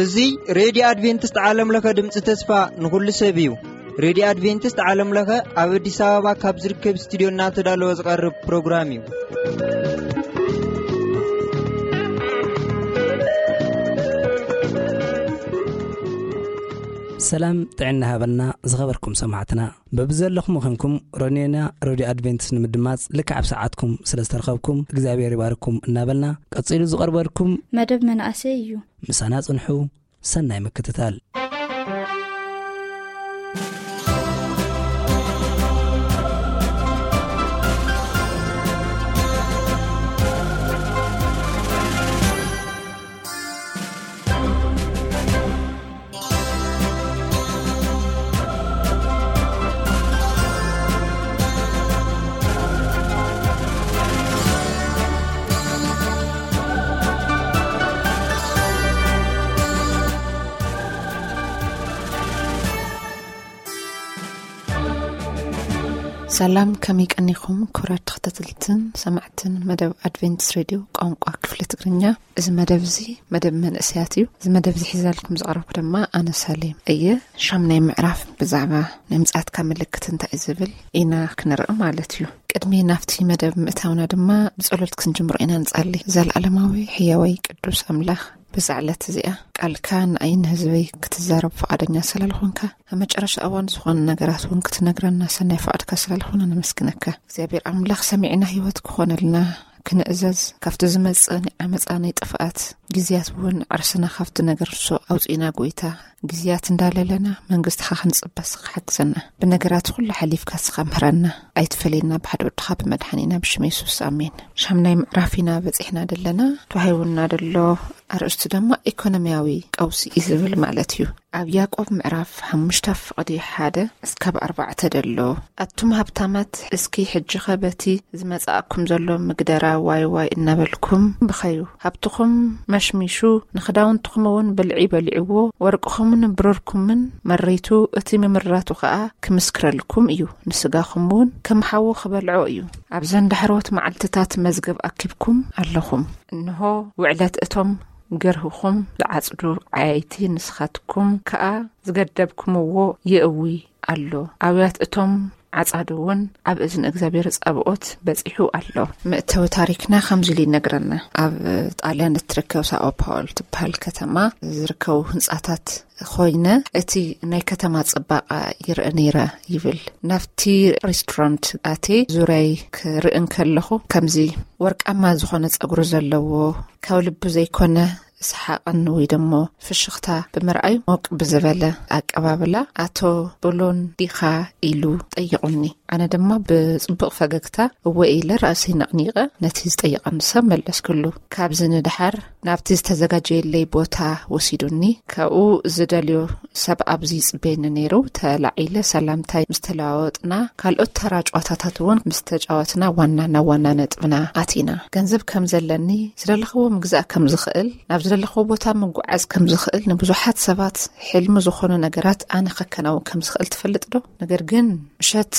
እዚ ሬድዮ ኣድቬንቲስት ዓለም ለኸ ድምፂ ተስፋ ንኹሉ ሰብ እዩ። ሬድዮ ኣድቬንቲስት ዓለም ለኸ ኣብ ኣዲስ ኣበባ ካብ ዝርከብ ስቱዲዮ እናተዳለወ ዝቐርብ ፕሮግራም እዩ። ሰላም ጥዕና ሃበልና ዝኸበርኩም ሰማዕትና። በብዘለኹም ኾንኩም ሮኔና ሬድዮ ኣድቬንቲስት ንምድማጽ ልክዕ ኣብ ሰዓትኩም ስለ ዝተረኸብኩም እግዚኣብሔር ይባርኩም እናበልና፣ ቀጺሉ ዝቐርበልኩም መደብ መናእሰይ እዩ። ምሳና ጽንሑ። ሰናይ ምክትታል። ሰላም፣ ከመይ ቀኒኹም ክቡራት ተኸታተልትን ሰማዕትን መደብ ኣድቬንቲስት ሬድዮ ቋንቋ ክፍሊ ትግርኛ? እዚ መደብ እዚ መደብ መንእሰያት እዩ። እዚ መደብ እዚ ሒዛልኩም ዝቐረብኩ ድማ ኣነ ሳሌም እየ። ሻምናይ ምዕራፍ ብዛዕባ ናይ ምጽኣትካ ምልክት እንታይ እዩ ዝብል ኢና ክንርኢ ማለት እዩ። ቅድሚ ናብቲ መደብ ምእታውና ድማ ብጸሎት ክንጅምሮ ኢና። ንጸሊ። ዘላለማዊ ሕያዋይ ቅዱስ ኣምላኽ፣ በዛ ዕለት እዚኣ ቃልካ ንኣይ ንህዝበይ ክትዛረብ ፍቓደኛ ስላልኾንካ፣ ኣብ መጨረሻ እዋን ዝኾነ ነገራት እውን ክትነግረና ሰናይ ፍቓድካ ስላልኾነ ነመስግነካ። እግዚኣብሔር ኣምላኽ፣ ሰሚዕና ህይወት ክኾነልና ክንእዘዝ፣ ካብቲ ዝመጽእ ናይ ዓመጻ ናይ ጥፍኣት ግዜያት እውን ዓርስና ካብቲ ነገር ንሱ ኣውጺእና፣ ጎይታ፣ ግዜያት እንዳለለና መንግስትኻ ክንጽበ ስኻ ሓግዘና። ብነገራት ኩሉ ሓሊፍካ ስኻ ምህረና። ኣይትፈለየና ብሓደ ወድኻ ብመድሓኒና ብሽም የሱስ፣ ኣሜን። ሻምናይ ምዕራፍ ኢና በጺሕና ደለና። ተዋሂቡና ደሎ ኣርእስቱ ድማ ኢኮኖሚያዊ ቀውሲ እዩ ዝብል ማለት እዩ። ኣብ ያዕቆብ ምዕራፍ ሓሙሽተ ፍቕዲ ሓደ እስካብ ኣርባዕተ ደሎ፣ ኣቱም ሃብታማት፣ እስኪ ሕጂኸ በቲ ዝመጽኣኩም ዘሎ ምግደራ ዋይ ዋይ እናበልኩም ብኸዩ። ሃብትኹም መሽሚሹ፣ ንኽዳውንትኹም እውን ብልዒ በሊዕዎ፣ ወርቅኹምን ብሩርኩምን መሪቱ፣ እቲ ምምራቱ ኸኣ ክምስክረልኩም እዩ፣ ንስጋኹም እውን ከም ሓዊ ክበልዖ እዩ። ኣብዘን ዳሕሮት መዓልትታት መዝገብ ኣኪብኩም ኣለኹም። እንሆ፣ ውዕለት እቶም ገርህኹም ዝዓጽዱ ዓያይቲ ንስኻትኩም ከኣ ዝገደብኩምዎ የእዊ ኣሎ። ኣውያት እቶም ዓጻዱ እውን ኣብ እዝኒ እግዚኣብሔር ጸብኦት በጺሑ ኣሎ። መእተዊ ታሪክና ከምዚ ኢሉ ይነግረና። ኣብ ጣልያን እትርከብ ሳኦ ፓውል ትበሃል ከተማ ዝርከቡ ህንጻታት ኮይነ፣ እቲ ናይ ከተማ ጽባቐ ይርአ ነይረ ይብል። ናብቲ ሬስቶራንት ኣትየ ዙርያይ ክርኢ እንከለኹ፣ ከምዚ ወርቃማ ዝኾነ ጸጉሪ ዘለዎ፣ ካብ ልቡ ዘይኮነ ሰሓቕን ወይ ደሞ ፍሽኽታ ብምርኣዩ ሞቅ ብዝበለ ኣቀባብላ፣ "ኣቶ ብሎን ዲኻ?" ኢሉ ጠይቑኒ። ኣነ ድማ ብጽቡቕ ፈገግታ እወ ኢለ ራእሰይ ነቕኒቐ ነቲ ዝጠየቐኒ ሰብ መለስክሉ። ካብዚ ንደሓር ናብቲ ዝተዘጋጀየለይ ቦታ ወሲዱኒ። ካብኡ ዝደልዮ ሰብ ኣብዚ ይጽበየኒ ነይሩ። ተላዒለ ሰላምታይ ምስ ተለዋወጥና፣ ካልኦት ተራ ጨዋታታት እውን ምስ ተጫወትና፣ ዋና ናብ ዋና ነጥብና ኣቲና። ገንዘብ ከም ዘለኒ፣ ዝደለኽዎ ምግዛእ ከም ዝኽእል፣ ናብ ዝደለኽዎ ቦታ ምጉዓዝ ከም ዝኽእል፣ ንብዙሓት ሰባት ሕልሚ ዝኾኑ ነገራት ኣነ ከከናውን ከም ዝኽእል ትፈልጥ ዶ? ነገር ግን ምሸት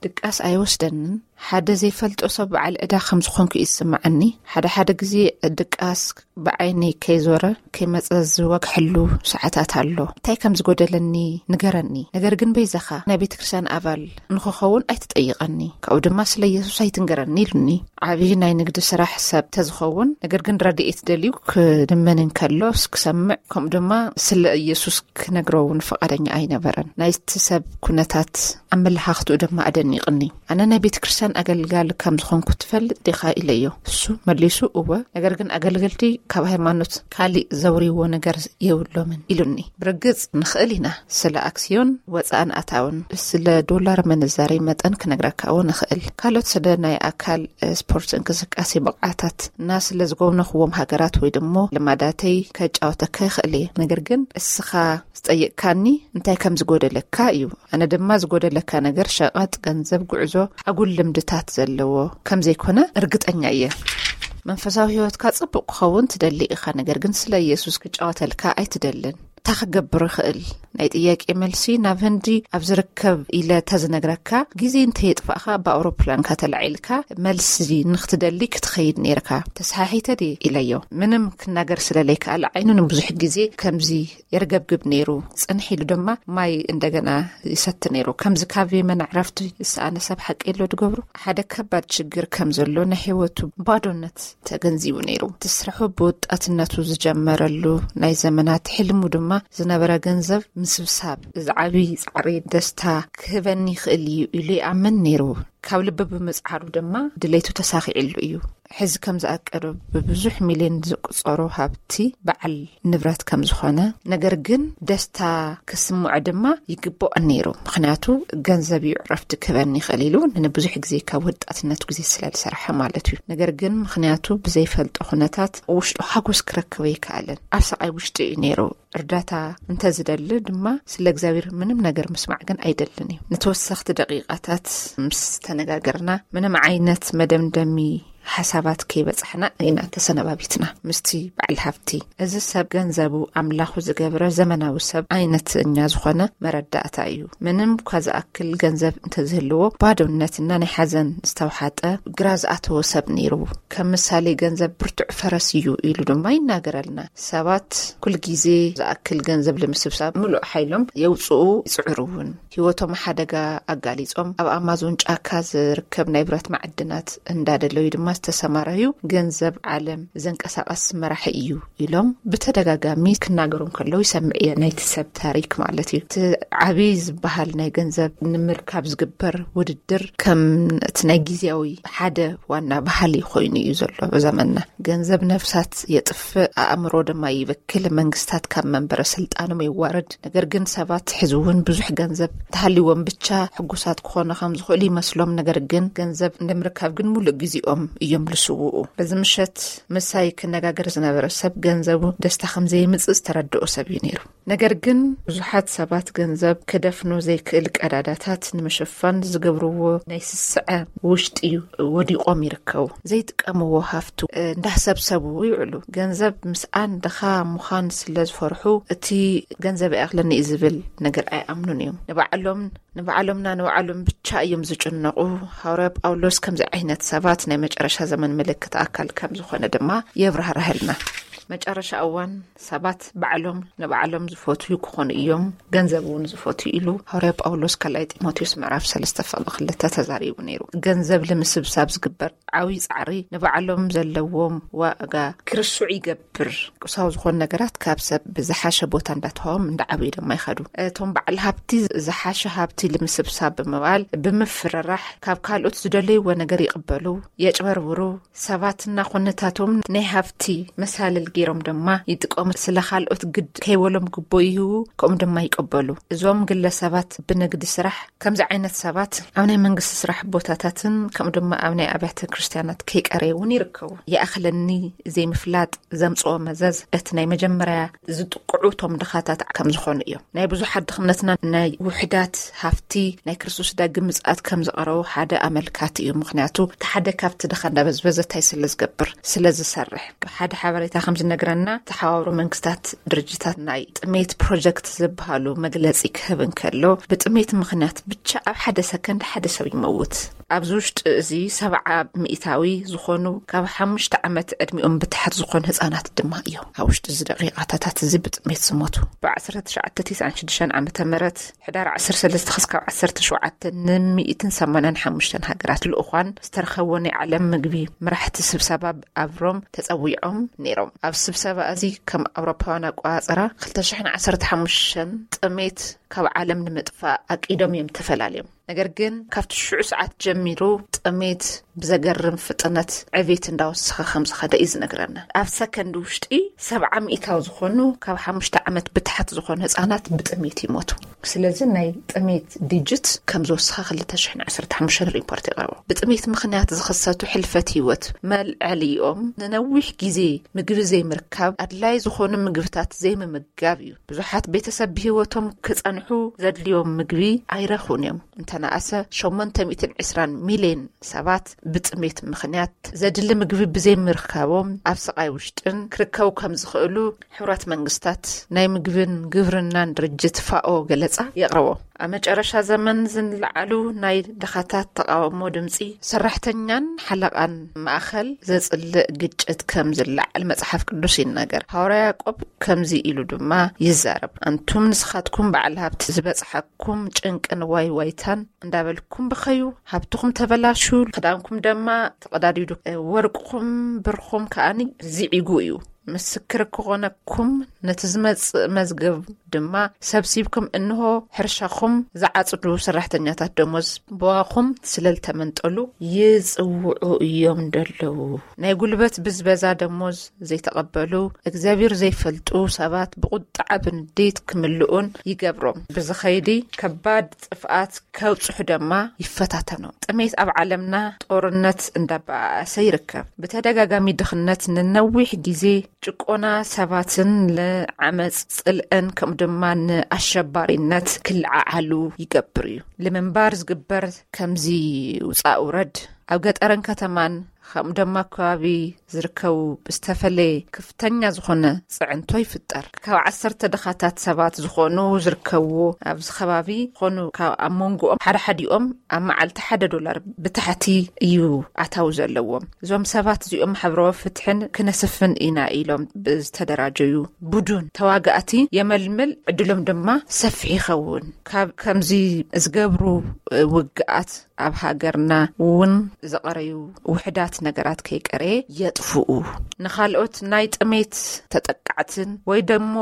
ድቃስ ኣይወስደንን። ሓደ ዘይፈልጦ ሰብ በዓል ዕዳ ከም ዝኾንኩ እዩ ዝስምዓኒ። ሓደ ሓደ ግዜ ድቃስ ብዓይነይ ከይዞረ ከይመጸ ዝወግሐሉ ሰዓታት ኣሎ። እንታይ ከም ዝጎደለኒ ንገረኒ። ነገር ግን በይዛኻ ናይ ቤተ ክርስቲያን ኣባል ንኽኸውን ኣይትጠይቐኒ። ካብኡ ድማ ስለ ኢየሱስ ኣይትንገረኒ ኢሉኒ። ዓብዪ ናይ ንግዲ ስራሕ ሰብ ተዝኸውን፣ ነገር ግን ረድኤት ደልዩ ክልመን እንከሎ ክሰምዕ፣ ከምኡ ድማ ስለ ኢየሱስ ክነግሮ እውን ፍቓደኛ ኣይነበረን። ናይቲ ሰብ ኩነታት ኣመለኻኽትኡ ድማ ኣደኒቕኒ። "ኣነ ናይ ቤተ ክርስቲያን ኣገልጋሊ ከም ዝኾንኩ ትፈልጥ ዲኻ?" ኢለዮ። እሱ መሊሱ፣ "እወ፣ ነገር ግን ኣገልገልቲ ካብ ሃይማኖት ካሊእ ዘውርይዎ ነገር የብሎምን" ኢሉኒ። ብርግጽ ንኽእል ኢና፣ ስለ ኣክስዮን ወጻእን ኣታውን፣ ስለ ዶላር ምንዛሬ መጠን ክነግረካ እውን እኽእል። ካልኦት ስለ ናይ ኣካል፣ እ፣ ስፖርት እንቅስቃሴ ብቕዓታት እና ስለ ዝጎብነኽዎም ሃገራት ወይ ደሞ ልማዳተይ ከጫወተካ ይኽእል እየ። ነገር ግን እስኻ ዝጠየቅካኒ እንታይ ከም ዝጎደለካ እዩ። ኣነ ድማ ዝጎደለካ ነገር ሸቐጥ፣ ገንዘብ፣ ጉዕዞ፣ ኣጉል ልምድታት ዘለዎ ከም ዘይኮነ እርግጠኛ እየ። መንፈሳዊ ህይወትካ ጽቡቕ ክኸውን ትደሊ ኢኻ፣ ነገር ግን ስለ ኢየሱስ ክጫወተልካ ኣይትደልን። እንታይ ክገብር ይኽእል? ናይ ጥያቄ መልሲ ናብ ህንዲ ኣብ ዝርከብ ኢለ ተዝነግረካ፣ ግዜ እንተየጥፋእካ ብኣውሮፕላንካ ተላዒልካ መልሲ ንክትደሊ ክትኸይድ ነይርካ። ተሰሓሒተ ድየ ኢለዮ። ምንም ክናገር ስለለይከኣል ዓይኑ ንብዙሕ ግዜ ከምዚ የርገብግብ ነይሩ። ጽንሕ ኢሉ ድማ ማይ እንደገና ይሰቲ ነይሩ። ከምዚ ካብ የመን ዕረፍቲ ዝሰኣነ ሰብ ሓቂ የሎ ድገብሩ። ሓደ ከባድ ሽግር ከም ዘሎ ናይ ህይወቱ ባዶነት ተገንዚቡ ነይሩ። እቲ ስርሑ ብወጣትነቱ ዝጀመረሉ ናይ ዘመናት ሕልሙ ድማ ዝነበረ ገንዘብ ምስብሳብ፣ እዚ ዓብዪ ጻዕሪ ደስታ ክህበኒ ይኽእል እዩ ኢሉ ይኣምን ነይሩ። ካብ ልቢ ብምጽዓሩ ድማ ድሌቱ ተሳኺዕሉ እዩ። ሕዚ ከም ዝኣቀዶ ብብዙሕ ሚልዮን ዝቁጸሮ ሃብቲ በዓል ንብረት ከም ዝኾነ፣ ነገር ግን ደስታ ክስምዖ ድማ ይግባኦ ነይሩ። ምኽንያቱ ገንዘብ እዩ ዕረፍቲ ክህበኒ ይኽእል ኢሉ ንብዙሕ ግዜ ካብ ወጣትነቱ ግዜ ስለ ዝሰርሐ ማለት እዩ። ነገር ግን ምኽንያቱ ብዘይፈልጦ ኩነታት ውሽጡ ሓጎስ ክረክብ ኣይከኣለን። ኣብ ሰቓይ ውሽጢ እዩ ነይሩ። እርዳታ እንተዝደሊ ድማ ስለ እግዚኣብሔር ምንም ነገር ምስማዕ ግን ኣይደልን እዩ። ንተወሰኽቲ ደቂቓታት ምስ ተነጋገርና ምንም ዓይነት መደምደሚ ሓሳባት ከይበጻሕና ኢና ተሰነባቢትና ምስቲ በዓል ሃብቲ። እዚ ሰብ ገንዘቡ ኣምላኹ ዝገብረ ዘመናዊ ሰብ ዓይነተኛ ዝኾነ መረዳእታ እዩ። ምንም እኳ ዝኣክል ገንዘብ እንተዝህልዎ ባዶነትና ናይ ሓዘን ዝተውሓጠ ግራ ዝኣተዎ ሰብ ነይሩ። ከም ምሳሌ ገንዘብ ብርቱዕ ፈረስ እዩ ኢሉ ድማ ይናገረልና። ሰባት ኩል ግዜ ዝኣክል ገንዘብ ንምስብሳብ ምሉእ ሓይሎም የውፅኡ ይፅዕሩ እውን። ህይወቶም ሓደጋ ኣጋሊጾም ኣብ ኣማዞን ጫካ ዝርከብ ናይ ብረት ማዕድናት እንዳደለዩ ድማ ዝተሰማረዩ ገንዘብ ዓለም ዘንቀሳቐስ መራሒ እዩ ኢሎም ብተደጋጋሚ ክናገሩ ከለዉ ይሰምዕ እየ፣ ናይቲ ሰብ ታሪክ ማለት እዩ። እቲ ዓብዪ ዝበሃል ናይ ገንዘብ ንምርካብ ዝግበር ውድድር ከም እቲ ናይ ግዜያዊ ሓደ ዋና ባህሊ ኮይኑ እዩ ዘሎ ኣብ ዘመንና። ገንዘብ ነፍሳት የጥፍእ፣ ኣእምሮ ድማ ይበክል፣ መንግስታት ካብ መንበረ ስልጣኖም የዋርድ። ነገር ግን ሰባት ሕዚ እውን ብዙሕ ገንዘብ እንተሃልይዎም ብቻ ሕጉሳት ክኾኑ ከም ዝኽእሉ ይመስሎም። ነገር ግን ገንዘብ ንምርካብ ግን ሙሉእ ግዜኦም እዮም ዝስውኡ። በዚ ምሸት ምሳይ ክነጋገር ዝነበረ ሰብ ገንዘቡ ደስታ ከም ዘየምጽእ ዝተረድኦ ሰብ እዩ ነይሩ። ነገር ግን ብዙሓት ሰባት ገንዘብ ክደፍኖ ዘይክእል ቀዳዳታት ንምሽፋን ዝገብርዎ ናይ ስስዐ ውሽጢ እዩ ወዲቖም ይርከቡ። ዘይጥቀምዎ ሃፍቱ እንዳሰብሰቡ ይውዕሉ። ገንዘብ ምስኣን ድኻ ምዃን ስለ ዝፈርሑ እቲ ገንዘብ ይኣኽለኒ እዩ ዝብል ነገር ኣይኣምኑን እዮም። ንባዕሎም ንባዕሎምና ንባዕሎም ብቻ እዮም ዝጭነቑ። ሃዋርያ ጳውሎስ ከምዚ ዓይነት ሰባት ናይ መጨረሻ ዘመን ምልክት ኣካል ከም ዝኾነ ድማ የብራህርሃልና። መጨረሻ እዋን ሰባት ባዕሎም ንባዕሎም ዝፈትዩ ክኾኑ እዮም፣ ገንዘብ እውን ዝፈትዩ ኢሉ ሃዋርያ ጳውሎስ ካልኣይ ጢሞቴዎስ ምዕራፍ ሰለስተ ፍቕዲ ክልተ ተዛሪቡ ነይሩ። ገንዘብ ንምስብሳብ ዝግበር ዓብዪ ጻዕሪ ንባዕሎም ዘለዎም ዋጋ ክርስዑ ይገብር። ቁሳዊ ዝኾኑ ነገራት ካብ ሰብ ብዝሓሸ ቦታ እንዳተዋዎም እንዳዓብዩ ድማ ይኸዱ። እቶም በዓል ሃብቲ ዝሓሸ ሃብቲ ንምስብሳብ ብምባል ብምፍርራሕ ካብ ካልኦት ዝደለይዎ ነገር ይቕበሉ፣ የጭበርብሩ። ሰባትና ኩነታቶም ናይ ሃብቲ መሳልል ገይሮም ድማ ይጥቀሙ። ስለ ካልኦት ግድ ከይበሎም ግቦ ይህቡ፣ ከምኡ ድማ ይቀበሉ። እዞም ግለሰባት ብንግዲ ስራሕ ከምዚ ዓይነት ሰባት ኣብ ናይ መንግስቲ ስራሕ ቦታታትን ከምኡ ድማ ኣብ ናይ ኣብያተ ክርስቲያናት ከይቀረዩ እውን ይርከቡ። ይኣኽለኒ ዘይምፍላጥ ዘምጽኦ መዘዝ እቲ ናይ መጀመርያ ዝጥቅዑ እቶም ድኻታት ከም ዝኾኑ እዮም። ናይ ብዙሓት ድኽነትና ናይ ውሕዳት ሃፍቲ ናይ ክርስቶስ ዳግም ምጽኣት ከም ዝቐረቡ ሓደ ኣመልካቲ እዩ። ምኽንያቱ እቲ ሓደ ካብቲ ድኻ እንዳበዝበዘ እንታይ ስለ ዝገብር፣ ስለ ዝሰርሕ። ሓደ ሓበሬታ ከም ዝነግረና፣ ተሓባብሮ መንግስታት ድርጅታት ናይ ጥሜት ፕሮጀክት ዝበሃሉ መግለጺ ክህብ እንከሎ፣ ብጥሜት ምኽንያት ብቻ ኣብ ሓደ ሰከንድ ሓደ ሰብ ይመውት። ኣብዚ ውሽጢ እዚ ሰብዓ ሚእታዊ ዝኾኑ ካብ ሓሙሽተ ዓመት ዕድሚኦም ብታሕት ዝኾኑ ህፃናት ድማ እዮም ኣብ ውሽጢ እዚ ደቂቃታት እዚ ብጥሜት ዝሞቱ። ብ1996 ዓመተ ምህረት ሕዳር 13 ክስካብ 17 ን185 ሃገራት ልኡኳን ዝተረኸቦ ናይ ዓለም ምግቢ መራሕቲ ስብሰባ ኣብ ሮም ተጸዊዖም ነይሮም። ኣብ ስብሰባ እዚ ከም ኣውሮፓውያን ኣቆጻጽራ 2015 ጥሜት ካብ ዓለም ንምጥፋእ ኣቂዶም እዮም ተፈላለዮም። ነገር ግን ካብቲ ሽዑ ሰዓት ጀሚሩ ጥሜት ብዘገርም ፍጥነት ዕቤት እንዳወሰኸ ከም ዝኸደ እዩ ዝነግረና። ኣብ ሰከንድ ውሽጢ ሰብዓ ሚእታዊ ዝኾኑ ካብ ሓሙሽተ ዓመት ብታሕት ዝኾኑ ህፃናት ብጥሜት ይሞቱ። ስለዚ ናይ ጥሜት ዲጅት ከም ዝወሰኸ 2015 ሪፖርት የቕርቦ። ብጥሜት ምኽንያት ዝኸሰቱ ሕልፈት ህይወት መልዕሊኦም ንነዊሕ ግዜ ምግቢ ዘይምርካብ፣ ኣድላይ ዝኾኑ ምግብታት ዘይምምጋብ እዩ። ብዙሓት ቤተሰብ ብህይወቶም ክጸንሑ ዘድልዮም ምግቢ ኣይረኽቡን እዮም። እንተነኣሰ ሸሞንተ ሚእትን ዕስራን ሚልዮን ሰባት ብጥሜት ምኽንያት ዘድሊ ምግቢ ብዘይምርካቦም ኣብ ስቓይ ውሽጥን ክርከቡ ከም ዝኽእሉ ሕቡራት መንግስታት ናይ ምግብን ግብርናን ድርጅት ፋኦ ገለጻ የቕርቦ። ኣብ መጨረሻ ዘመን ዝንለዓሉ ናይ ድኻታት ተቓውሞ ድምጺ ሰራሕተኛን ሓለቓን ማእኸል ዘጽልእ ግጭት ከም ዝለዓል መጽሓፍ ቅዱስ ይናገር። ሃዋርያ ያዕቆብ ከምዚ ኢሉ ድማ ይዛረብ፣ ኣንቱም ንስኻትኩም በዓል ሃብቲ ዝበጽሓኩም ጭንቅን ዋይ ዋይታን እንዳበልኩም ብኸዩ፣ ሃብትኹም ተበላሹ፣ ክዳንኩም ደማ ተቐዳዲዱ፣ ወርቅኹም ብርኹም ከኣኒ ዝዒጉ እዩ። ምስክር ክኾነኩም ነቲ ዝመጽእ መዝገብ ድማ ሰብሲብኩም፣ እንሆ ሕርሻኹም ዝዓጽዱ ሰራሕተኛታት ደሞዝ ብዋኹም ስለልተመንጠሉ ይጽውዑ እዮም ደለዉ። ናይ ጉልበት ብዝበዛ ደሞዝ ዘይተቐበሉ፣ እግዚኣብሔር ዘይፈልጡ ሰባት ብቁጣዓ ብንዴት ክምልኡን ይገብሮም። ብዝኸይዲ ከባድ ጥፍኣት ከብጽሑ ደማ ይፈታተኖም። ጥሜት ኣብ ዓለምና ጦርነት እንዳበኣሰ ይርከብ። ብተደጋጋሚ ድኽነት ንነዊሕ ግዜ ጭቆና ሰባትን ንዓመጽ ጽልእን ከምኡ ድማ ንኣሸባሪነት ክለዓዓሉ ይገብር እዩ። ንምንባር ዝግበር ከምዚ ውጻእ ውረድ ኣብ ገጠርን ከተማን ከምኡ ድማ ከባቢ ዝርከቡ ብዝተፈለየ ከፍተኛ ዝኾነ ጽዕንቶ ይፍጠር። ካብ ዓሰርተ ድኻታት ሰባት ዝኾኑ ዝርከብዎ ኣብዚ ከባቢ ዝኾኑ ካብ ኣብ መንጎኦም ሓደ ሓዲኦም ኣብ መዓልቲ ሓደ ዶላር ብታሕቲ እዩ ኣታዊ ዘለዎም። እዞም ሰባት እዚኦም ማሕበራዊ ፍትሕን ክነስፍን ኢና ኢሎም ብዝተደራጀዩ ቡዱን ተዋጋእቲ የመልምል፣ ዕድሎም ድማ ሰፊሕ ይኸውን። ካብ ከምዚ ዝገብሩ ውግኣት ኣብ ሃገርና እውን ዝቐረዩ ውሕዳት ነገራት ከይቀረየ የጥፍኡ። ንኻልኦት ናይ ጥሜት ተጠቃዕትን ወይ ደሞ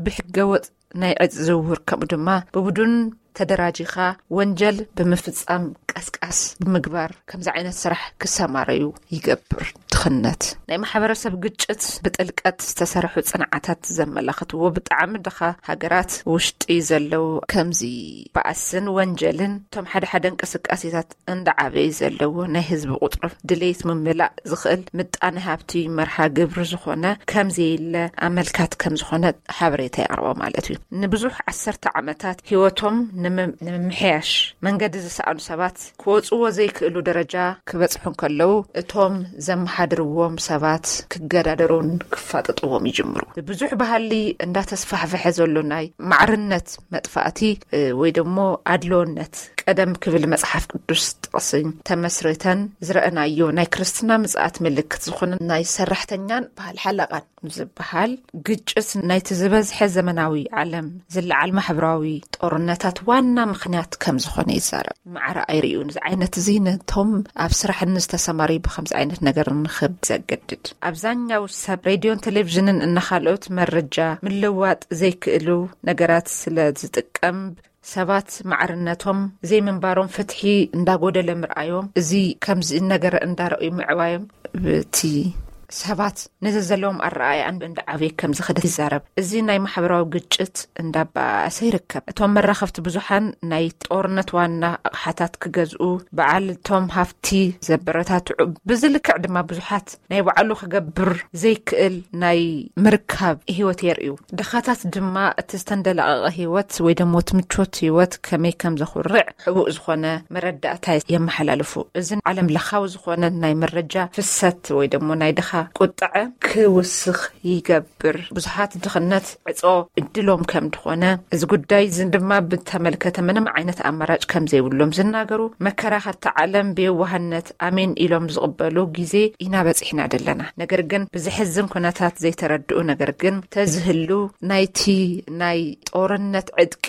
ብሕገወጥ ናይ ዕፅ ዝውውር ከምኡ ድማ ብቡዱን ተደራጂኻ ወንጀል ብምፍጻም ቀስቃስ ብምግባር ከምዚ ዓይነት ስራሕ ክሰማረዩ ይገብር። ድኽነት ናይ ማሕበረሰብ ግጭት ብጥልቀት ዝተሰርሑ ጽንዓታት ዘመላኽትዎ ብጣዕሚ ድኻ ሃገራት ውሽጢ ዘለዉ ከምዚ ባእስን ወንጀልን እቶም ሓደ ሓደ እንቅስቃሴታት እንዳዓበየ ዘለዎ ናይ ህዝቢ ቁጥሪ ድሌት ምምላእ ዝኽእል ምጣነ ሃብቲ መርሃ ግብሪ ዝኾነ ከምዘየለ ኣመልካቲ ከም ዝኾነ ሓበሬታ የቕርቦ ማለት እዩ። ንብዙሕ ዓሰርተ ዓመታት ህይወቶም ንምም- ንምምሕያሽ መንገዲ ዝሰኣኑ ሰባት ክወፅዎ ዘይክእሉ ደረጃ ክበፅሑ እንከለዉ እቶም ዘመሓድርዎም ሰባት ክገዳደሩን ክፋጠጥዎም ይጅምሩ። ብብዙሕ ባህሊ እንዳተስፋሕፈሐ ዘሎ ናይ ማዕርነት መጥፋእቲ ወይ ደሞ ኣድሎነት ቀደም ክብል መጽሓፍ ቅዱስ ጥቕስን ተመስርተን ዝረእናዮ ናይ ክርስትና ምጽኣት ምልክት ዝኾነ ናይ ሰራሕተኛን በዓል ሓለቓን ዝበሃል ግጭት ናይቲ ዝበዝሐ ዘመናዊ ዓለም ዝለዓል ማሕበራዊ ጦርነታት ዋና ምኽንያት ከም ዝኾነ ይዛረብ። ማዕረ ኣይርእዩን። እዚ ዓይነት እዚ ነቶም ኣብ ስራሕ ንዝተሰማርዩ ብከምዚ ዓይነት ነገር ንኽብ ዘገድድ ኣብዛኛው ሰብ ሬድዮን ቴሌቪዥንን እናኻልኦት መረጃ ምልዋጥ ዘይክእሉ ነገራት ስለ ዝጥቀም ሰባት ማዕርነቶም ዘይምንባሮም ፍትሒ እንዳጎደለ ምርኣዮም እዚ ከምዚ ነገር እንዳረእዩ ምዕባዮም እቲ ሰባት ነዚ ዘለዎም ኣረኣያ እንዳዓበየ ከም ዝኸደ ይዛረብ። እዚ ናይ ማሕበራዊ ግጭት እንዳባእሰ ይርከብ። እቶም መራኸብቲ ብዙሓን ናይ ጦርነት ዋና ኣቕሓታት ክገዝኡ በዓል እቶም ሃፍቲ ዘበረታትዑ ብዝልክዕ ድማ ብዙሓት ናይ ባዕሉ ክገብር ዘይክእል ናይ ምርካብ ህይወት የርእዩ። ድኻታት ድማ እቲ ዝተንደላቐቐ ህይወት ወይ ደሞ እቲ ምቾት ህይወት ከመይ ከም ዘኹርዕ ሕቡእ ዝኾነ መረዳእታ የመሓላልፉ። እዚ ዓለም ለኻዊ ዝኾነ ናይ መረጃ ፍሰት ወይ ደሞ ናይ ድኻ ቁጥዐ ክውስኽ ይገብር። ብዙሓት ድኽነት ዕጾ እድሎም ከም ድኾነ እዚ ጉዳይ እዚ ድማ ብተመልከተ ምንም ዓይነት ኣማራጭ ከም ዘይብሎም ዝናገሩ መከራኸርቲ ዓለም ብየዋህነት ኣሜን ኢሎም ዝቕበሉ ግዜ ኢና በጺሕና ዘለና። ነገር ግን ብዝሕዝን ኩነታት ዘይተረድኡ ነገር ግን ተዝህሉ ናይቲ ናይ ጦርነት ዕጥቂ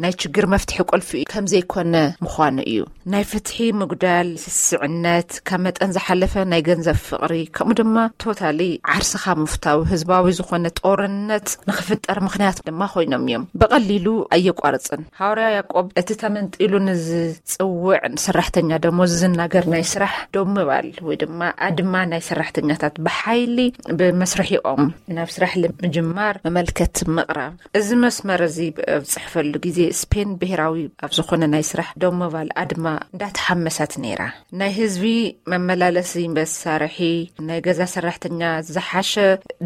ናይ ችግር መፍትሒ ቁልፊ እዩ ከም ዘይኮነ ምዃኑ እዩ። ናይ ፍትሒ ምጉዳል፣ ስስዕነት፣ ካብ መጠን ዝሓለፈ ናይ ገንዘብ ፍቕሪ ከምኡ ድማ ቶታሊ ዓርስኻ ምፍታው ህዝባዊ ዝኾነ ጦርነት ንኽፍጠር ምኽንያት ድማ ኮይኖም እዮም። ብቐሊሉ ኣየቋርጽን። ሃዋርያ ያዕቆብ እቲ ተመንጢሉ ንዝጽውዕ ሰራሕተኛ ደሞዝ ዝናገር ናይ ስራሕ ደው ምባል ወይ ድማ ኣድማ ናይ ሰራሕተኛታት ብሓይሊ ብመስርሒኦም ናብ ስራሕ ንምጅማር መመልከት ምቕራብ። እዚ መስመር እዚ ኣብ ዝጽሕፈሉ ግዜ ስፔን ብሄራዊ ኣብ ዝኾነ ናይ ስራሕ ደው ምባል ኣድማ እንዳተሓመሰት ነይራ። ናይ ህዝቢ መመላለሲ መሳርሒ ናይ ገዛ ሰራሕተኛ ዝሓሸ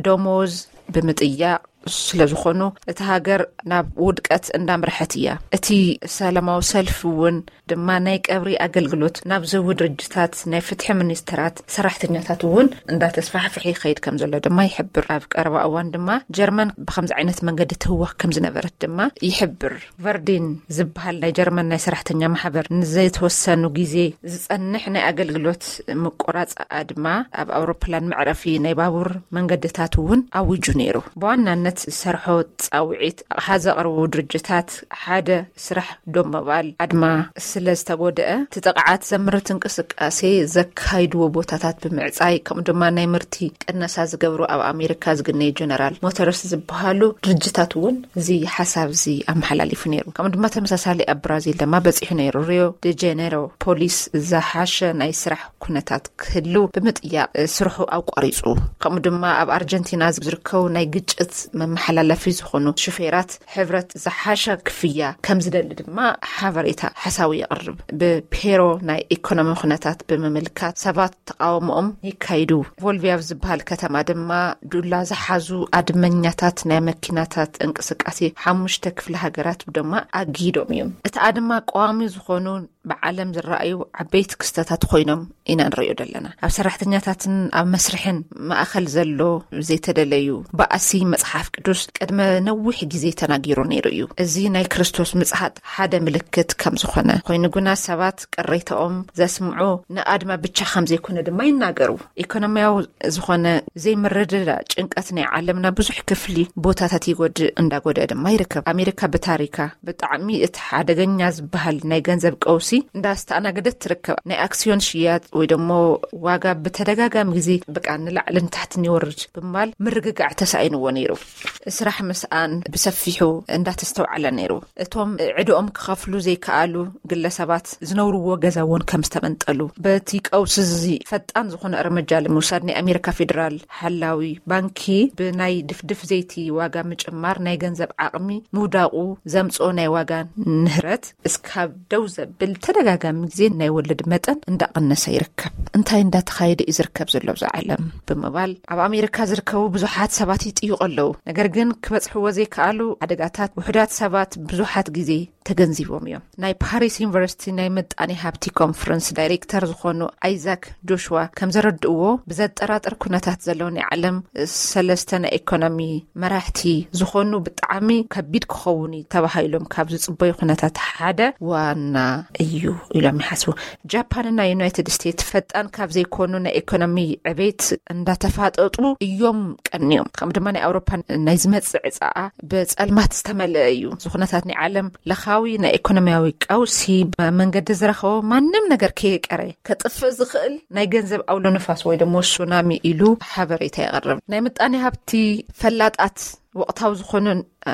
ደሞዝ ብምጥያቕ ስለ ዝኾኑ፣ እቲ ሃገር ናብ ውድቀት እንዳምርሐት እያ። እቲ ሰላማዊ ሰልፊ እውን ድማ ናይ ቀብሪ ኣገልግሎት ናብ ዝህቡ ድርጅታት፣ ናይ ፍትሒ ሚኒስተራት፣ ሰራሕተኛታት እውን እንዳተስፋሕፍሐ ይኸይድ ከም ዘሎ ድማ ይሕብር። ኣብ ቀረባ እዋን ድማ ጀርመን ብከምዚ ዓይነት መንገዲ ትህወኽ ከም ዝነበረት ድማ ይሕብር። ቨርዲን ዝበሃል ናይ ጀርመን ናይ ሰራሕተኛ ማሕበር ንዘይተወሰኑ ግዜ ዝጸንሕ ናይ ኣገልግሎት ምቁራጽ ኣድማ ኣብ ኣውሮፕላን መዕረፊ ናይ ባቡር መንገድታት እውን ኣዊጁ ነይሩ። ብዋናነት ዝሰርሖ ጻውዒት ኣቕሓ ዘቕርቡ ድርጅታት ሓደ ስራሕ ዶብ ምባል ኣድማ ስለ ዝተጎድአ፣ እቲ ጥቕዓት ዘምርት እንቅስቃሴ ዘካይድዎ ቦታታት ብምዕጻይ፣ ከምኡ ድማ ናይ ምርቲ ቅነሳ ዝገብሩ ኣብ ኣሜሪካ ዝግነዩ ጀነራል ሞተርስ ዝበሃሉ ድርጅታት እውን እዚ ሓሳብ እዚ ኣመሓላሊፉ ነይሩ። ከምኡ ድማ ተመሳሳሊ ኣብ ብራዚል ድማ በጺሑ ነይሩ። ሪዮ ደ ጀኔሮ ፖሊስ ዝሓሸ ናይ ስራሕ ኩነታት ክህሉ ብምጥያቕ ስርሑ ኣቋሪጹ። ከምኡ ድማ ኣብ ኣርጀንቲና ዝርከቡ ናይ ግጭት መመሓላለፊ ዝኾኑ ሹፌራት ሕብረት ዝሓሸ ክፍያ ከም ዝደሊ ድማ ሓበሬታ ሓሳዊ የቕርብ። ብፔሮ ናይ ኢኮኖሚ ኩነታት ብምምልካት ሰባት ተቃውሞኦም ይካይዱ። ቮልቪያ ኣብ ዝበሃል ከተማ ድማ ዱላ ዝሓዙ ኣድመኛታት ናይ መኪናታት እንቅስቃሴ ሓሙሽተ ክፍለ ሃገራት ድማ ኣጊዶም እዮም። እቲ ኣድማ ቀዋሚ ዝኾኑ ብዓለም ዝረኣዩ ዓበይቲ ክስተታት ኮይኖም ኢና ንሪኦ ዘለና። ኣብ ሰራሕተኛታትን ኣብ መስርሕን ማእኸል ዘሎ ዘይተደለዩ ባእሲ መጽሓፍ ቅዱስ ቅድመ ነዊሕ ግዜ ተናጊሩ ነይሩ እዩ። እዚ ናይ ክርስቶስ ምጽሓት ሓደ ምልክት ከም ዝኾነ ኮይኑ ግና ሰባት ቅሬታኦም ዘስምዑ ንኣድማ ብቻ ከም ዘይኮነ ድማ ይናገሩ። ኢኮኖሚያዊ ዝኾነ ዘይምርድዳእ ጭንቀት ናይ ዓለምና ብዙሕ ክፍሊ ቦታታት ይጎድእ እንዳጎድአ ድማ ይርከብ። ኣሜሪካ ብታሪካ ብጣዕሚ እቲ ሓደገኛ ዝበሃል ናይ ገንዘብ ቀውሲ እንዳስተኣናገደት ትርከብ። ናይ ኣክሲዮን ሽያጥ ወይ ደሞ ዋጋ ብተደጋጋሚ ግዜ በቃ ንላዕልን ታሕትን ይወርድ ብምባል ምርግጋዕ ተሳኢንዎ ነይሩ። ስራሕ ምስኣን ብሰፊሑ እንዳተስተውዓለ ነይሩ። እቶም ዕድኦም ክኸፍሉ ዘይከኣሉ ግለሰባት ዝነብርዎ ገዛ እውን ከም ዝተመንጠሉ፣ በቲ ቀውሲ እዚ ፈጣን ዝኾነ እርምጃ ንምውሳድ ናይ ኣሜሪካ ፌዴራል ሓላዊ ባንኪ ብናይ ድፍድፍ ዘይቲ ዋጋ ምጭማር ናይ ገንዘብ ዓቕሚ ምውዳቑ ዘምጽኦ ናይ ዋጋ ንህረት እስካብ ደው ዘብል ተደጋጋሚ ግዜ ናይ ወለድ መጠን እንዳቐነሰ ይርከብ። እንታይ እንዳተኻየደ እዩ ዝርከብ ዘሎ ኣብዚ ዓለም ብምባል ኣብ ኣሜሪካ ዝርከቡ ብዙሓት ሰባት ይጥይቑ ኣለዉ። ነገር ግን ክበጽሕዎ ዘይከኣሉ ሓደጋታት ውሑዳት ሰባት ብዙሓት ግዜ ተገንዚቦም እዮም። ናይ ፓሪስ ዩኒቨርሲቲ ናይ ምጣኔ ሃብቲ ኮንፈረንስ ዳይሬክተር ዝኾኑ ኣይዛክ ጆሽዋ ከም ዘረድእዎ፣ ብዘጠራጥር ኩነታት ዘለዉ ናይ ዓለም ሰለስተ ናይ ኢኮኖሚ መራሕቲ ዝኾኑ ብጣዕሚ ከቢድ ክኸውን እዩ ተባሂሎም ካብ ዝጽበዩ ኩነታት ሓደ ዋና እዩ ኢሎም ይሓስቡ። ጃፓንና ዩናይትድ ስቴትስ ፈጣን ካብ ዘይኮኑ ናይ ኢኮኖሚ ዕቤት እንዳተፋጠጡ እዮም ቀንዮም። ከም ድማ ናይ ኣውሮፓ ናይ ዝመጽእ ዕጻኣ ብጸልማት ዝተመልአ እዩ። እዚ ኩነታት ናይ ዓለም ለኻዊ ናይ ኢኮኖሚያዊ ቀውሲ ብመንገዲ ዝረኸቦ ማንም ነገር ከየቀረ ከጥፍእ ዝኽእል ናይ ገንዘብ ኣውሎ ንፋስ ወይ ደሞ ሱናሚ ኢሉ ሓበሬታ የቕርብ። ናይ ምጣኔ ሃብቲ ፈላጣት ወቕታዊ ዝኾኑ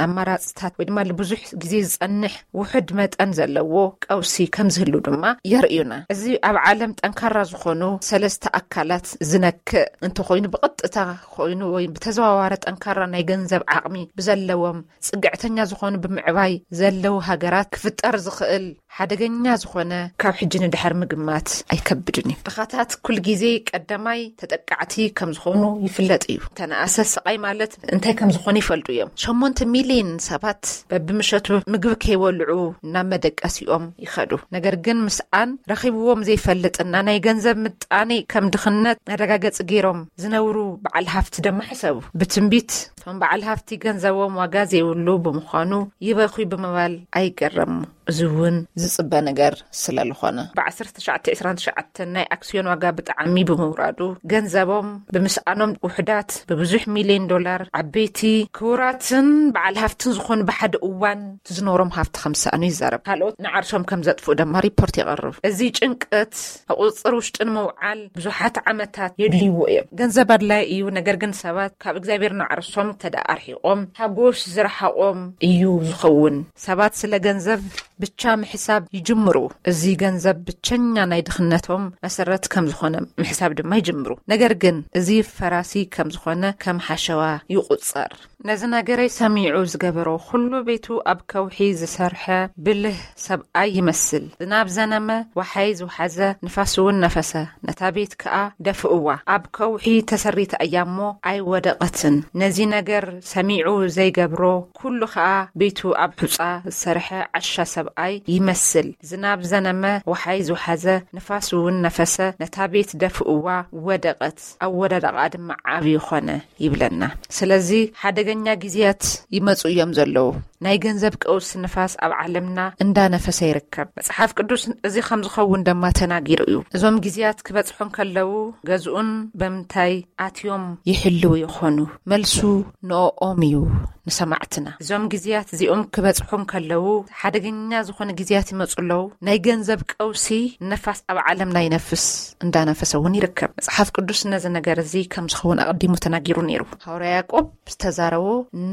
ኣማራፅታት ወይ ድማ ብዙሕ ግዜ ዝጸንሕ ውሑድ መጠን ዘለዎ ቀውሲ ከም ዝህሉ ድማ የርእዩና። እዚ ኣብ ዓለም ጠንካራ ዝኾኑ ሰለስተ ኣካላት ዝነክእ እንተኾይኑ፣ ብቐጥታ ኮይኑ ወይ ብተዘዋዋሪ ጠንካራ ናይ ገንዘብ ዓቕሚ ብዘለዎም ጽግዕተኛ ዝኾኑ ብምዕባይ ዘለዉ ሃገራት ክፍጠር ዝኽእል ሓደገኛ ዝኾነ ካብ ሕጂ ንድሕር ምግማት ኣይከብድን እዩ። ድኻታት ኩል ግዜ ቀዳማይ ተጠቃዕቲ ከም ዝኾኑ ይፍለጥ እዩ። ተነኣሰ ስቓይ ማለት እንታይ ከም ዝኾነ ይፈልጡ እዮም። ሸሞንተ ሚልዮን ሰባት በብምሸቱ ምግቢ ከይበልዑ ናብ መደቀሲኦም ይኸዱ። ነገር ግን ምስኣን ረኺብዎም ዘይፈልጥና ናይ ገንዘብ ምጣኔ ከም ድኽነት መረጋገጺ ገይሮም ዝነብሩ በዓል ሃፍቲ ደማ ሕሰቡ። ብትንቢት እቶም በዓል ሃፍቲ ገንዘቦም ዋጋ ዘይብሉ ብምዃኑ ይበኹ ብምባል ኣይገረሙ። እዚ እውን ዝጽበ ነገር ስለ ዝኾነ። ብ ዓሰርተ ትሽዓተ ዕስራን ትሽዓተን ናይ ኣክስዮን ዋጋ ብጣዕሚ ብምውራዱ፣ ገንዘቦም ብምስኣኖም ውሑዳት ብብዙሕ ሚልዮን ዶላር ዓበይቲ ክቡራትን በዓል ሃፍትን ዝኾኑ ብሓደ እዋን ዝኖሮም ሃፍቲ ከም ዝሰኣኑ ይዛረብ። ካልኦት ንዓርሶም ከም ዘጥፍኡ ድማ ሪፖርት የቕርብ። እዚ ጭንቀት ኣብ ቁጽጽር ውሽጢ ንምውዓል ብዙሓት ዓመታት የድልይዎ እዮም። ገንዘብ ኣድላይ እዩ፣ ነገር ግን ሰባት ካብ እግዚኣብሔር ንዓርሶም ተደኣ ኣርሒቖም፣ ሓጎስ ዝረሓቖም እዩ ዝኸውን። ሰባት ስለ ገንዘብ ብቻ ምሕሳብ ይጅምሩ። እዚ ገንዘብ ብቸኛ ናይ ድኽነቶም መሰረት ከም ዝኾነ ምሕሳብ ድማ ይጅምሩ። ነገር ግን እዚ ፈራሲ ከም ዝኾነ ከም ሓሸዋ ይቑጸር። ነዚ ነገረይ ሰሚዑ ዝገበሮ ኩሉ ቤቱ ኣብ ከውሒ ዝሰርሐ ብልህ ሰብኣይ ይመስል። ዝናብ ዘነመ፣ ወሓይ ዝውሓዘ፣ ንፋስ እውን ነፈሰ፣ ነታ ቤት ከኣ ደፍእዋ። ኣብ ከውሒ ተሰሪታ እያ እሞ ኣይወደቐትን። ነዚ ነገር ሰሚዑ ዘይገብሮ ኩሉ ከኣ ቤቱ ኣብ ሑጻ ዝሰርሐ ዓሻ ሰብኣይ ይመስል። ዝናብ ዘነመ፣ ወሓይ ዝውሓዘ፣ ንፋስ እውን ነፈሰ፣ ነታ ቤት ደፍእዋ፣ ወደቐት። ኣወዳድቓ ድማ ዓብዪ ኾነ ይብለና። ስለዚ ሓደገኛ ግዜያት ይመጹ እዮም ዘለዉ። ናይ ገንዘብ ቀውስ ንፋስ ኣብ ዓለምና እንዳነፈሰ ይርከብ። መጽሓፍ ቅዱስ እዚ ከም ዝኸውን ድማ ተናጊሩ እዩ። እዞም ግዜያት ክበጽሑ እንከለዉ ገዝኡን በምንታይ ኣትዮም ይሕልዉ ይኾኑ? መልሱ ንኦም እዩ። ንሰማዕትና እዞም ግዜያት እዚኦም ክበጽሑ እንከለዉ ሓደገኛ ዝኾነ ግዜያት ይመጹ ኣለዉ። ናይ ገንዘብ ቀውሲ ነፋስ ኣብ ዓለምና ይነፍስ እንዳነፈሰ እውን ይርከብ። መጽሓፍ ቅዱስ ነዚ ነገር እዚ ከም ዝኸውን ኣቐዲሙ ተናጊሩ ነይሩ። ሃዋርያ ያዕቆብ ዝተዛረቦ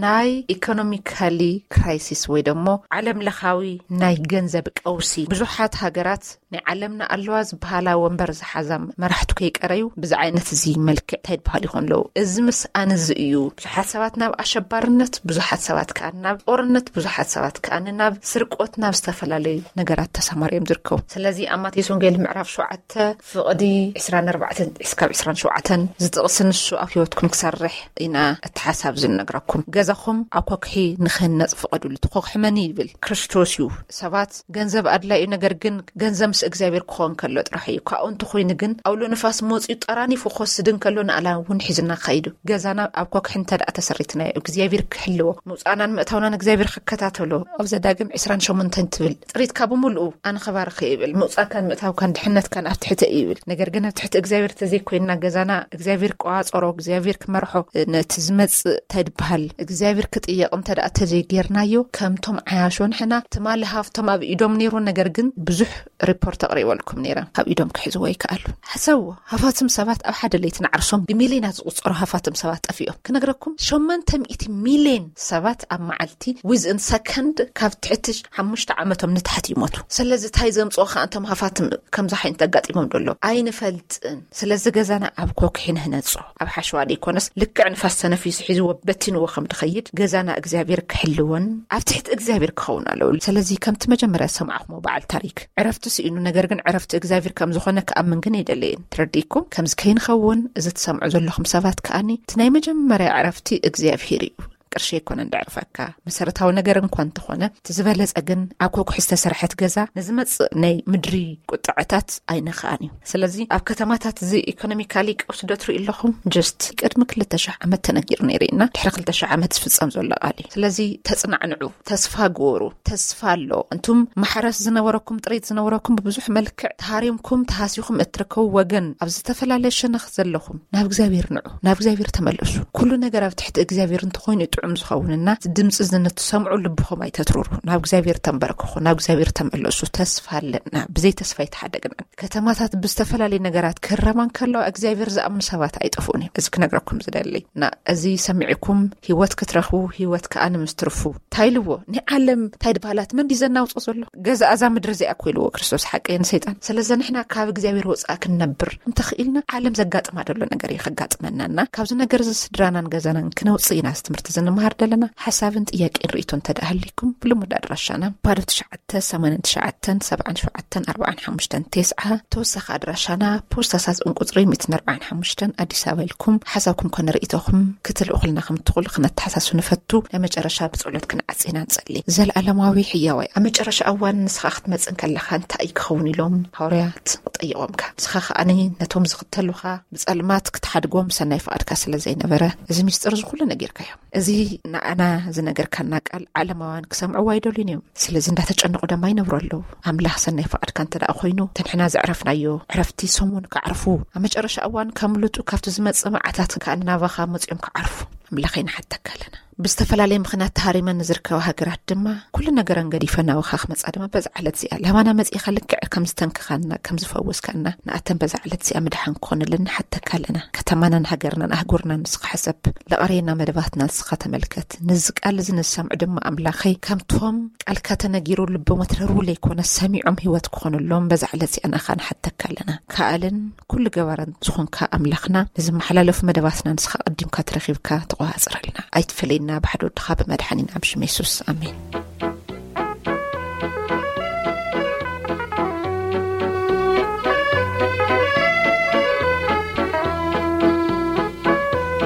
ናይ ኢኮኖሚካሊ ክራይሲስ ወይ ደሞ ዓለም ለኻዊ ናይ ገንዘብ ቀውሲ ብዙሓት ሃገራት ናይ ዓለምና ኣለዋ ዝበሃላ ወንበር ዝሓዛ መራሕቲ ከይቀረዩ ብዚ ዓይነት እዚ መልክዕ እንታይ ይበሃል ይኾን ኣለዉ። እዚ ምስኣን እዚ እዩ ብዙሓት ሰባት ናብ ኣሸባርነት፣ ብዙሓት ሰባት ከኣ ናብ ጦርነት፣ ብዙሓት ሰባት ከኣ ናብ ስርቆት፣ ናብ ዝተፈላለዩ ነገራት ተሰማርዮም ዝርከቡ። ስለዚ ኣብ ማቴዎስ ወንጌል ምዕራፍ ሸውዓተ ፍቕዲ ዕስራን ኣርባዕተን እስካብ ዕስራን ሸውዓተን ዝጥቕስ ንሱ ኣብ ህይወትኩም ክሰርሕ ኢና እቲ ሓሳብ ዝነግረኩም። ገዛኹም ኣብ ኮክሒ ንክህነጽ ፍቐዱሉ። እቲ ኮክሒ መን እዩ ይብል? ክርስቶስ እዩ። ሰባት ገንዘብ ኣድላይ እዩ፣ ነገር ግን ገንዘብ ምስ እግዚኣብሔር ክኸውን ከሎ ጥራሕ እዩ። ካብኡ እንተኾይኑ ግን ኣውሎ ንፋስ መጺኡ ጠራኒፉ ክወስድ እንከሎ ንኣላ እውን ሒዝና ካይዱ። ገዛና ኣብ ኮክሒ እንተ ደኣ ተሰሪትናዮ እግዚኣብሔር ክሕልዎ፣ ምውጻእናን ምእታውናን እግዚኣብሔር ክከታተሎ። ኣብ ዘዳግም ዕስራን ሸሞንተን ትብል ጥሪትካ ብምሉኡ ኣነ ኸባርኸ ይብል። ምውጻእካን ምእታውካን ድሕነትካን ኣብ ትሕቲ እዩ ይብል። ነገር ግን ኣብ ትሕቲ እግዚኣብሔር ተዘይኮይንና ገዛና እግዚኣብሔር ክቋጸሮ፣ እግዚኣብሔር ክመርሖ፣ ነቲ ዝመጽእ እንታይ ድበሃል እግዚኣብሔር ክጥየቕ እንተ ደኣ ተዘይጌርናዮ ከምቶም ዓያሾ ንሕና ትማሊ ሃፍቶም ኣብ ኢዶም ነይሩ። ነገር ግን ብዙሕ ሪፖርት ኣቕሪበልኩም ነይረ። ካብ ኢዶም ክሕዝዎ ይከኣሉ። ሓሰብዎ፣ ሃፋትም ሰባት ኣብ ሓደ ለይቲ ንዓርሶም ብሚልዮናት ዝቑጸሩ ሃፋትም ሰባት ጠፊኦም። ክነግረኩም ሸሞንተ ሚእቲ ሚልዮን ሰባት ኣብ መዓልቲ ዊዝን ሰከንድ ካብ ትሕቲ ሓሙሽተ ዓመቶም ንታሕቲ ይሞቱ። ስለዚ እንታይ ዘምጽኦ ከኣ እንቶም ሃፋትም ከምዚ ዓይነት ኣጋጢሞም ደሎ ኣይንፈልጥን። ስለዚ ገዛና ኣብ ኮክሒ ንህነጾ፣ ኣብ ሓሸዋ ደይኮነስ ልክዕ ንፋስ ተነፊሱ ሒዝዎ በቲንዎ ከም ድኸይድ ገዛና እግዚኣብሔር ክሕልዎን ኣብ ትሕቲ እግዚኣብሔር ክኸውን ኣለዎ። ስለዚ ከምቲ መጀመርያ ዝሰማዕኹሞ በዓል ታሪክ ዕረፍቲ ስኢኑ፣ ነገር ግን ዕረፍቲ እግዚኣብሔር ከም ዝኾነ ክኣምን ግን የደለየን። ትረዲእኩም ከምዚ ከይንኸውን እዚ ትሰምዑ ዘለኹም ሰባት ከኣኒ እቲ ናይ መጀመርያ ዕረፍቲ እግዚኣብሔር እዩ። ቅርሺ ኣይኮነን ደዕርፈካ፣ መሰረታዊ ነገር እንኳ እንተኾነ እቲ ዝበለጸ ግን ኣብ ኮኩሒ ዝተሰርሐት ገዛ ንዝመጽእ ናይ ምድሪ ቁጥዐታት ኣይነኽኣን እዩ። ስለዚ ኣብ ከተማታት እዚ ኢኮኖሚካሊ ቀውሲ ዶ ትርኢ ኣለኹም? ጀስት ቅድሚ ክልተ ሽሕ ዓመት ተነጊሩ ነይሩ ኢና። ድሕሪ ክልተ ሽሕ ዓመት ዝፍጸም ዘሎ ቃል እዩ። ስለዚ ተጽናዕንዑ፣ ተስፋ ግበሩ። ተስፋ ኣሎ። እንቱም ማሕረስ ዝነበረኩም፣ ጥሪት ዝነበረኩም ብብዙሕ መልክዕ ተሃሪምኩም ተሃሲኹም እትርከቡ ወገን ኣብ ዝተፈላለየ ሸነኽ ዘለኹም ናብ እግዚኣብሔር ንዑ፣ ናብ እግዚኣብሔር ተመለሱ። ኩሉ ነገር ኣብ ትሕቲ እግዚኣብሔር እንተኾይኑ እዩ ጥዑም ዝኸውንና ድምፂ እዚ ንትሰምዑ ልብኹም ኣይተትርሩ። ናብ እግዚኣብሔር ተንበርክኹ፣ ናብ እግዚኣብሔር ተመለሱ። ተስፋ ኣለና። ብዘይ ተስፋ ኣይተሓደግናን። ከተማታት ብዝተፈላለየ ነገራት ክህረማ እንከለዋ እግዚኣብሔር ዝኣምኑ ሰባት ኣይጠፍኡን እዮም። እዚ ክነግረኩም ዝደሊ እና እዚ ሰሚዕኩም ህይወት ክትረኽቡ ህይወት ከዓ ንምስትርፉ እንታይ ኢልዎ? ናይ ዓለም እንታይ ድባላት መን ድዩ ዘናውጾ ዘሎ? ገዛ እዛ ምድሪ እዚኣ እኮ ኢልዎ ክርስቶስ ሓቀይን ሰይጣን። ስለዚ ንሕና ካብ እግዚኣብሔር ወፃእ ክንነብር እንተኽኢልና ዓለም ዘጋጥማ ዘሎ ነገር እዩ ከጋጥመናና። ካብዚ ነገር እዚ ስድራናን ገዛናን ክነውፅእ ኢና እዚ ትምህርቲ እዚ ንምሃር ዘለና። ሓሳብን ጥያቄን ርእይቶ እንተ ደኣ ሃልይኩም ብልሙድ ኣድራሻና ባዶ ትሽዓተ ሰማንያን ትሽዓተን ሰብዓን ሸውዓተን ኣርባዓን ሓሙሽተን ተስዓ ተወሳኺ ኣድራሻና ፖስታ ሳጥን ቁፅሪ ሚእትን ኣርባዓን ሓሙሽተን ኣዲስ ኣበባ ኢልኩም ሓሳብኩም ኮነ ርእይቶኹም ክትልእኹልና ከም ትኽእሉ ክነተሓሳስብ ንፈቱ። ናይ መጨረሻ ብጸሎት ክንዓጽ ኢና ንጸሊ። ዘለኣለማዊ ሕያዋይ ኣብ መጨረሻ እዋን ንስኻ ክትመጽእ እንከለኻ እንታይ እዩ ክኸውን ኢሎም ሃዋርያት ጠይቖምካ? ንስኻ ከኣ ነቶም ዝኽተሉኻ ብጸልማት ክትሓድጎም ሰናይ ፍቓድካ ስለ ዘይነበረ እዚ ሚስጥር እዚ ኩሉ ነጊርካዮም። እዚ ንኣና ዝነገርካና ቃል ዓለማውያን ክሰምዕዎ ኣይደልዩን እዮም። ስለዚ እንዳተጨነቑ ደማ ይነብሩ ኣለዉ። ኣምላኽ ሰናይ ፍቓድካ እንተ ደኣ ኮይኑ፣ እቲ ንሕና ዘዕረፍናዮ ዕረፍቲ ሰሙን ክዓርፉ፣ ኣብ መጨረሻ እዋን ከምልጡ ካብቲ ዝመጽእ መዓታት ከኣ ናባኻ መጺኦም ክዓርፉ ኣምላኸይ ንሓተካ ኣለና። ብዝተፈላለየ ምኽንያት ተሃሪመን ንዝርከባ ሃገራት ድማ ኩሉ ነገረን ገዲፈን ናባኻ ክመጻ ድማ በዛ ዕለት እዚኣ ላባና መጺእኻ ልክዕ ከም ዝተንክኻና ከም ዝፈወስካና ንኣተን በዛ ዕለት እዚኣ ምድሓን ክኾነለን ንሓተካ ኣለና። ከተማናን ሃገርናን ኣህጉርናን ንስኻ ሕሰብ። ለቐሬና መደባትና ንስኻ ተመልከት። ነዚ ቃል እዚ ንዝሰምዑ ድማ ኣምላኸይ ከምቶም ቃልካ ተነጊሩ ልቦም ኣትረሩ ለይኮነ ሰሚዖም ህይወት ክኾነሎም በዛ ዕለት እዚኣ ንኣኻ ንሓተካ ኣለና። ከኣልን ኩሉ ገባርን ዝኾንካ ኣምላኽና ነዚ መሓላለፉ መደባትና ንስኻ ቀዲምካ ተረኺብካ ኣጽረልና። ኣይትፈለየና ብሓደ ወድኻ ብመድሓኒና ብሽም የሱስ። ኣሜን።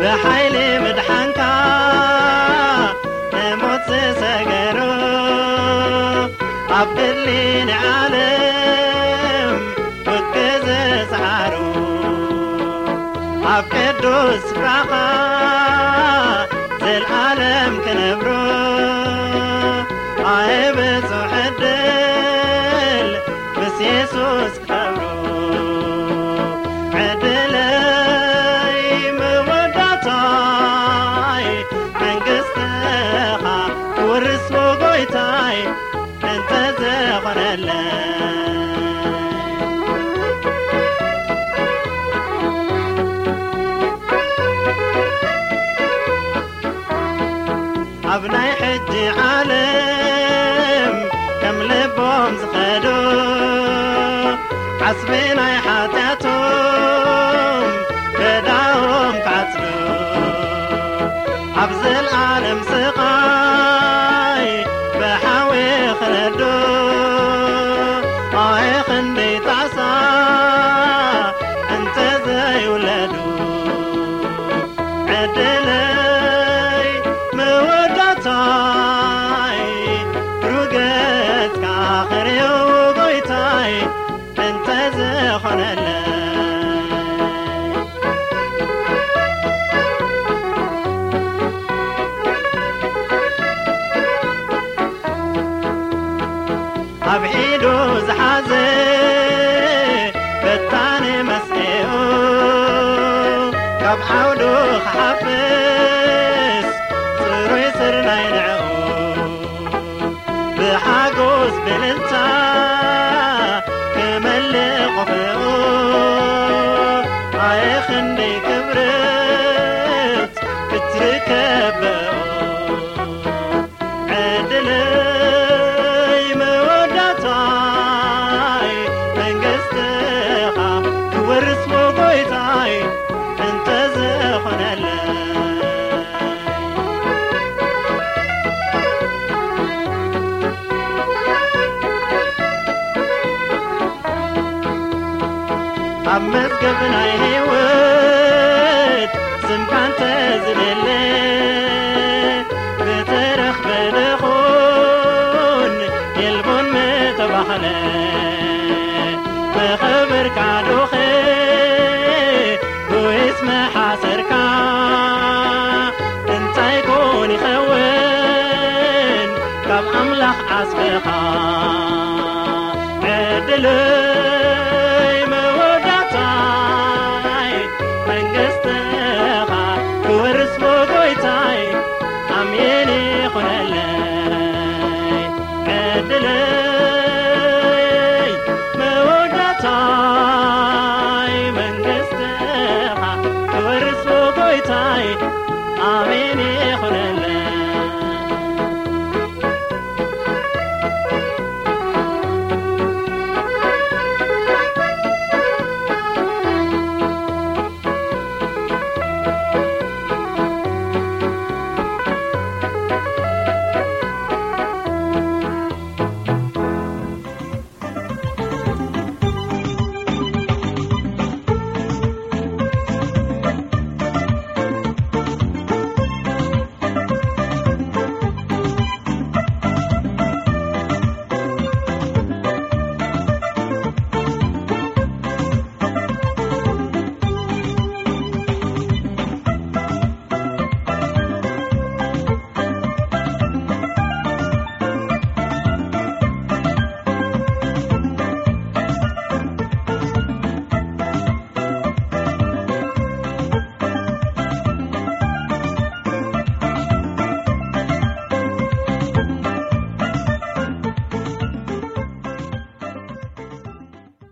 ብሓይሊ ምድሓንካ ንሞት ዝሰገሩ ኣብ ድሊ ንዓለም ውግእ ዝሰዓሩ ኣብ ቅዱስ ስፍራኻ ዘልዓለም ክነብሩ ኣየ ብጹሕ ዕድል ምስ የሱስ ክኸብሩ ዕድለይ መወዳእታይ መንግስትኻ ክወርስ ጎይታይ እንተ ዝኾነለይ ኣብ ናይ ሕጂ ዓለም ከም ልቦም ዝኸዱ ዓስቢ ናይ ሓጢኣቶም ገዳዎም ክዓጽዱ ኣብ ዘልኣለም ስቓይ ብሓዊ ክነዱ ኣየ ክንደይ ጣዕሳ እንተ ዘይውለዱ ዕድለይ መወዳእታይ ሩገጽካ ክርእዮ ጎይታይ እንተ ዝኾነለይ ኣብ ኢዱ ዝሓዘ በታኒ መስኤኡ ካብ ዓውዱ ክሓፍስ ጽሩይ ስርናይ ንዕኡ ብሓጎስ ብልልታ ክመልእ ቆፎኡ ኣየ ክንደይ ክብርት ክትርከብ በኡ ዕድለይ መወዳእታይ መንግስትኻ ክወርስ ጎይታይ እንተ ዝኾነለይ ኣብ መዝገብ ናይ ህይወት ስምካ እንተ ዝደለ ብተረኽበ ደኹን የልቦን ምተባህለ ብኽብርካ ዶ